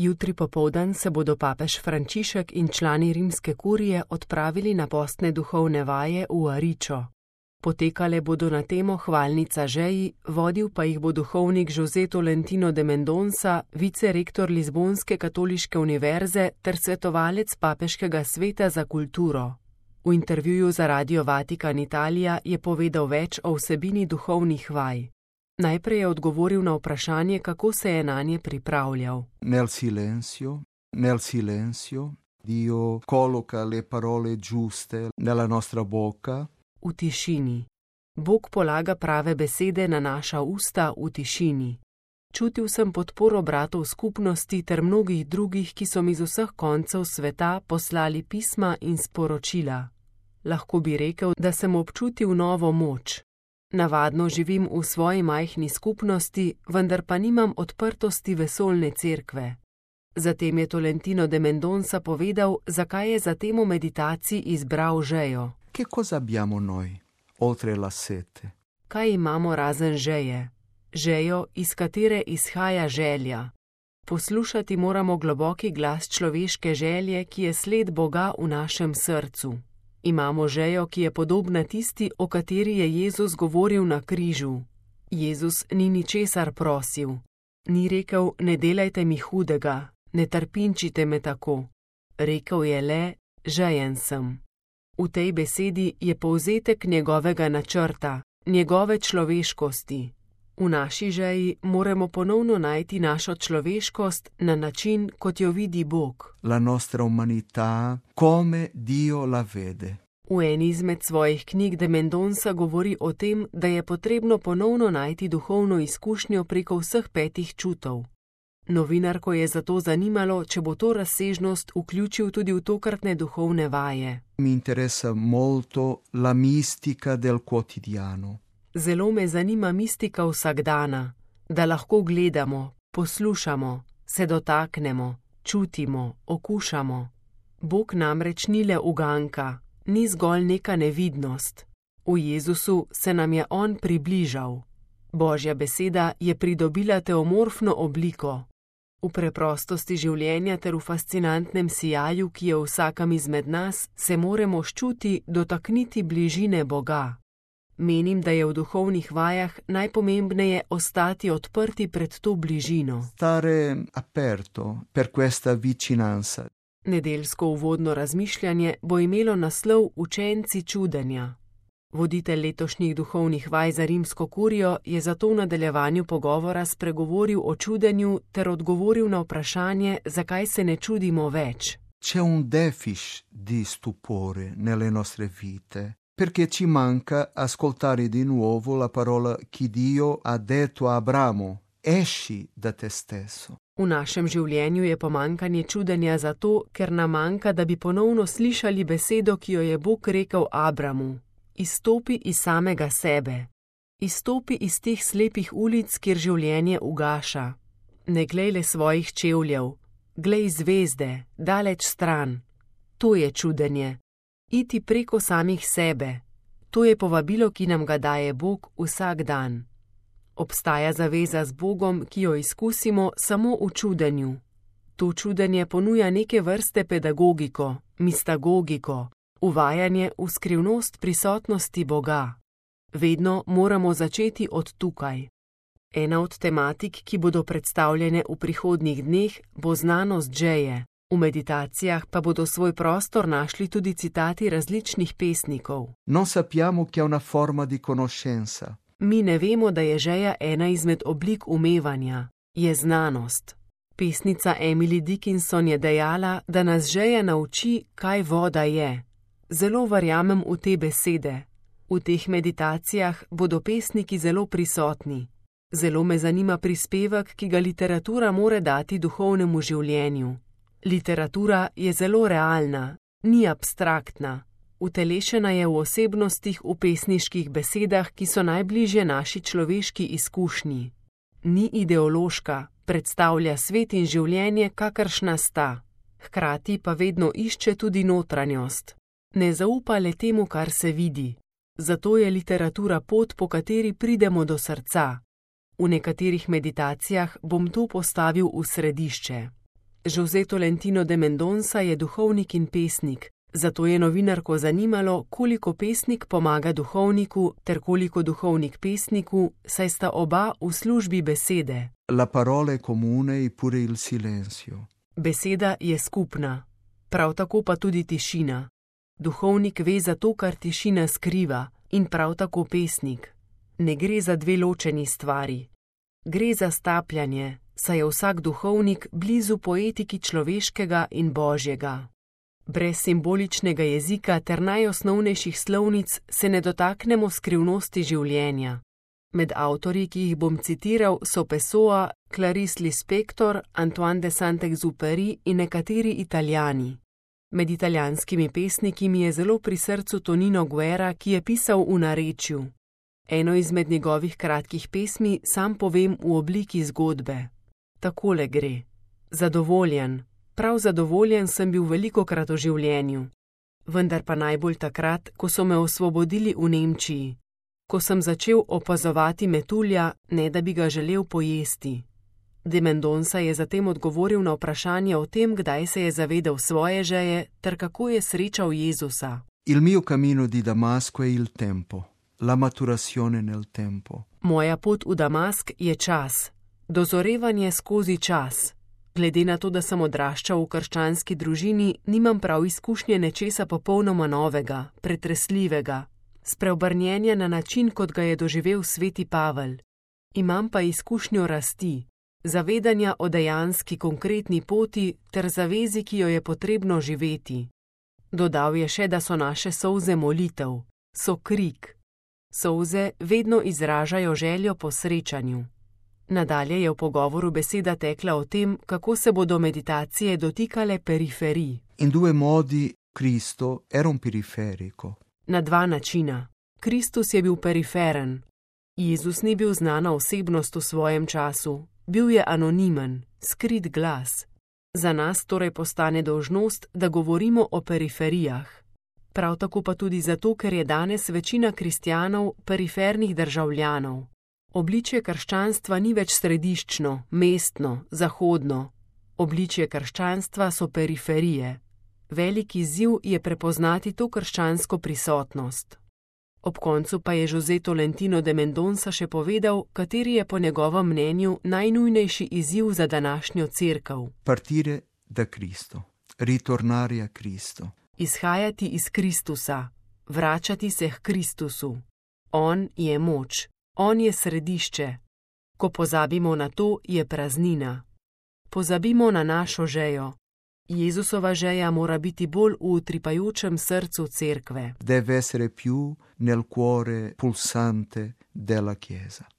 Jutri popoldan se bodo papež Frančišek in člani rimske kurije odpravili na postne duhovne vaje v Aričo. Potekale bodo na temo Hvalnica žeji, vodil pa jih bo duhovnik José Tolentino de Mendonça, vicerektor Lizbonske katoliške univerze ter svetovalec papeškega sveta za kulturo. V intervjuju za Radio Vatikan Italija je povedal več o vsebini duhovnih vaj. Najprej je odgovoril na vprašanje, kako se je nanje pripravljal. Nel silenzio, Dio colloca le parole giuste nella nostra bocca. V tišini. Bog polaga prave besede na naša usta v tišini. Čutil sem podporo bratov skupnosti ter mnogih drugih, ki so mi z vseh koncev sveta poslali pisma in sporočila. Lahko bi rekel, da sem občutil novo moč. Navadno živim v svoji majhni skupnosti, vendar pa nimam odprtosti vesoljne cerkve. Zatem je Tolentino de Mendonça povedal, zakaj je za temo meditacij izbral žejo. Che cosa abbiamo noi, oltre la sete? Kaj imamo razen žeje? Žejo, iz katere izhaja želja. Poslušati moramo globoki glas človeške želje, ki je sled Boga v našem srcu. Imamo žejo, ki je podobna tisti, o kateri je Jezus govoril na križu. Jezus ni ničesar prosil. Ni rekel, ne delajte mi hudega, ne trpinčite me tako. Rekel je le, žejen sem. V tej besedi je povzetek njegovega načrta, njegove človeškosti. V naši žeji moramo ponovno najti našo človeškost na način, kot jo vidi Bog. La nostra umanità come Dio la vede. V eni izmed svojih knjig de Mendonça govori o tem, da je potrebno ponovno najti duhovno izkušnjo preko vseh 5 čutov. Novinarko je zato zanimalo, če bo to razsežnost vključil tudi v tokratne duhovne vaje. Mi interesa molto la mistica del quotidiano. Zelo me zanima mistika vsakdana, da lahko gledamo, poslušamo, se dotaknemo, čutimo, okušamo. Bog namreč ni le uganka, ni zgolj neka nevidnost. V Jezusu se nam je On približal. Božja beseda je pridobila teomorfno obliko. V preprostosti življenja ter v fascinantnem sijaju, ki je v vsakem izmed nas, se moramo ščuti dotakniti bližine Boga. Menim, da je v duhovnih vajah najpomembneje ostati odprti pred to bližino. Stare aperto per questa vicinanza. Nedeljsko uvodno razmišljanje bo imelo naslov Učenci čudenja. Voditelj letošnjih duhovnih vaj za rimsko kurijo je zato v nadaljevanju pogovora spregovoril o čudenju ter odgovoril na vprašanje, zakaj se ne čudimo več. C'è un deficit di stupore nelle nostre vite, perché ci manca ascoltare di nuovo la parola che Dio ha detto a Abramo, esci da te stesso. V našem življenju je pomankanje čudenja zato, ker nam manjka, da bi ponovno slišali besedo, ki jo je Bog rekel Abramu. Izstopi iz samega sebe. Izstopi iz teh slepih ulic, kjer življenje ugaša. Ne glej le svojih čevljev, glej zvezde, daleč stran. To je čudenje. Iti preko samih sebe. To je povabilo, ki nam ga daje Bog vsak dan. Obstaja zaveza z Bogom, ki jo izkusimo samo v čudenju. To čudenje ponuja neke vrste pedagogiko, mistagogiko, uvajanje v skrivnost prisotnosti Boga. Vedno moramo začeti od tukaj. Ena od tematik, ki bodo predstavljene v prihodnjih dneh, bo znanost žeje. V meditacijah pa bodo svoj prostor našli tudi citati različnih pesnikov. Non sappiamo che è una forma di conoscenza. Mi ne vemo, da je žeja ena izmed oblik umevanja. Je znanost. Pesnica Emily Dickinson je dejala, da nas žeja nauči, kaj voda je. Zelo verjamem v te besede. V teh meditacijah bodo pesniki zelo prisotni. Zelo me zanima prispevek, ki ga literatura more dati duhovnemu življenju. Literatura je zelo realna, ni abstraktna. Utelešena je v osebnostih, v pesniških besedah, ki so najbližje naši človeški izkušnji. Ni ideološka, predstavlja svet in življenje, kakršna sta. Hkrati pa vedno išče tudi notranjost. Ne zaupa le temu, kar se vidi. Zato je literatura pot, po kateri pridemo do srca. V nekaterih meditacijah bom to postavil v središče. José Tolentino de Mendonça je duhovnik in pesnik, zato je novinarko zanimalo, koliko pesnik pomaga duhovniku ter koliko duhovnik pesniku, saj sta oba v službi besede. La parola è comune eppure il silenzio. Beseda je skupna, prav tako pa tudi tišina. Duhovnik ve za to, kar tišina skriva, in prav tako pesnik. Ne gre za dve ločeni stvari. Gre za stapljanje, saj je vsak duhovnik blizu poetiki človeškega in božjega. Brez simboličnega jezika ter najosnovnejših slovnic se ne dotaknemo skrivnosti življenja. Med avtorji, ki jih bom citiral, so Pessoa, Clarice Lispector, Antoine de Saint-Exupéry in nekateri Italijani. Med italijanskimi pesniki mi je zelo pri srcu Tonino Guerra, ki je pisal v narečju. Eno izmed njegovih kratkih pesmi sam povem v obliki zgodbe. Takole gre. Zadovoljen, prav zadovoljen sem bil velikokrat v življenju. Vendar pa najbolj takrat, ko so me osvobodili v Nemčiji. Ko sem začel opazovati metulja, ne da bi ga želel pojesti. De Mendonça je zatem odgovoril na vprašanje o tem, kdaj se je zavedel svoje žeje, ter kako je srečal Jezusa. Il mio cammino di Damasco è il tempo, la maturazione nel tempo. Moja pot v Damask je čas, dozorevanje skozi čas. Glede na to, da sem odraščal v krščanski družini, nimam prav izkušnje nečesa popolnoma novega, pretresljivega, spreobrnjenja na način, kot ga je doživel sveti Pavel. Imam pa izkušnjo rasti, zavedanja o dejanski konkretni poti ter zavezi, ki jo je potrebno živeti. Dodal je še, da so naše solze molitev, so krik. Solze vedno izražajo željo po srečanju. Nadalje je v pogovoru beseda tekla o tem, kako se bodo meditacije dotikale periferij. In due modi Cristo era un periferico. Na dva načina. Kristus je bil periferen. Jezus ni bil znana osebnost v svojem času. Bil je anonimen, skrit glas. Za nas torej postane dolžnost, da govorimo o periferijah. Prav tako pa tudi zato, ker je danes večina kristjanov perifernih državljanov. Obličje krščanstva ni več središčno, mestno, zahodno. Obličje krščanstva so periferije. Veliki izziv je prepoznati to krščansko prisotnost. Ob koncu pa je José Tolentino de Mendonça še povedal, kateri je po njegovem mnenju najnujnejši izziv za današnjo cerkev. Partire da Cristo, ritornare a Cristo. Izhajati iz Kristusa, vračati se k Kristusu. On je moč, on je središče. Ko pozabimo na to, je praznina. Pozabimo na našo žejo. Jezusova žeja mora biti bolj v utripajočem srcu cerkve. Deve essere più nel cuore pulsante della Chiesa.